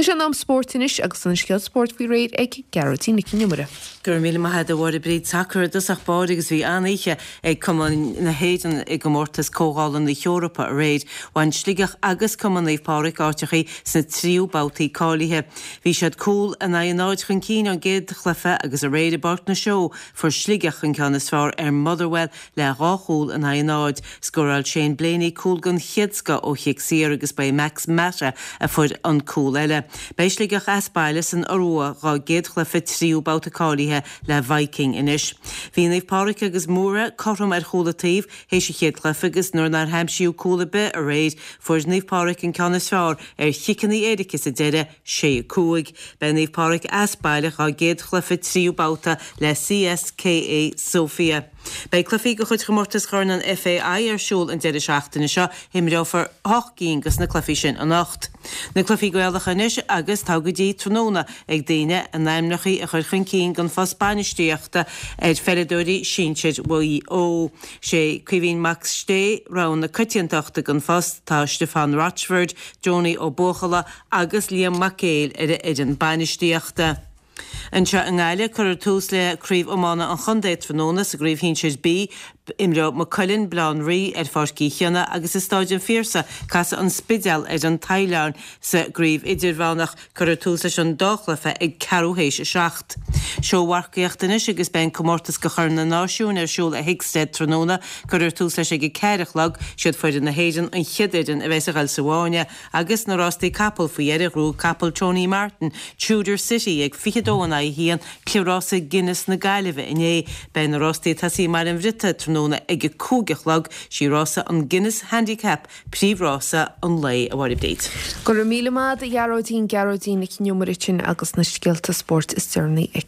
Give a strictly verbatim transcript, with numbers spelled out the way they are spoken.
Tá sé in am spóirt anois agus an scéal spóirt faoi réir ag Gearóidín Nic Con Iomaire. Go raibh míle maith agat a Mháire Bríd sacar i dtosach báire agus bhí an-oíche ag Cumann na hÉireann i gcomórtas Comhdhála na hEorpa aréir. Bhain Sligeach agus Cumann Naomh Pádraig áiteachaí sna tríú babhtaí cáilithe. Bhí siad cúl in aghaidh a náid chun cinn ón gcéad chluiche agus aréir i bPáirc na Seó fuair Sligeach an ceann is fearr ar Motherwell le dhá chúl in aghaidh a náid. Scóráil Shane Blaney cúl den chéad scoth ó chic saor agus ba é Max Mata a fuair an cúl eile. Beidh Sligeach as baile san Iorua dá gcéad chluiche tríú babhta cáilithe le Viking anois. Bhí Naomh Pádraig agus Mura cothrom ar chúl an taobh théis an chéad chluiche agus nuair nár aimsíodh cúl ar bith aréir fuair Naomh Pádraig an ceann is fearr ar chiceanna éirice sa deireadh sé cúig. Beidh Naomh Pádraig as baile dá gcéad chluiche tríú babhta le CSKA Sofia. Beidh cluichí de chuid chomórtas Chorn an FAI ar siúl an deireadh seachtaine seo imreofar ocht gcinn de na cluichí sin anocht. Na cluichí Gaelacha anois agus tá go dtí tráthnóna ag daoine a n-ainmneacha a chur chun cinn don phost bainistíochta ar pheileadóirí sinsir Mhaigh Eo. Sé Caoimhín Mac Sté rogha na coitiantachta don phost tá Stefan Rochford, Johnny Ó Buachalla agus Liam Mac Éil ar a fhoireann bainistíochta. Anseo i nGaillimh cuirfear tús le craobh iomána an chontae tráthnóna sa gcraobh shinsir B, imreoidh Maigh Cuilinn Baile Átha an Rí ar Pháirc Uí Chionnaith agus i Stáid an Phiarsaigh casfaidh an Spidéal ar an Taighleán sa gcraobh idirmheánach cuirfear tús leis an dá chluiche ag ceathrú théis a seacht. Seómharcaíocht anois agus beidh an comórtas do Chorn na Náisiún ar siúl i Hickstead tráthnóna cuirfear tús leis ag a ceathair a chlog siad foireann na hÉireann an chéad fhoireann a bheas ag dul sa bhfáinne agus na rástaí capall faoi dheireadh ghnóthaigh capall Tony Martin Tudor City ag fiche dó in aghaidh a haon cliathrás Guinness na Gaillimhe inné beidh na rástaí ag tosaí i mBaile an Bhriotaigh tráthnóna ag a cúig a chlog sí rása an Guinness Handicap príomhrása an lae a Mháire Bríd. Go raibh míle maith a Ghearóidín Gearóidín Nic Con Iomaire sin agus na scéalta spóirt is deireanaí aici.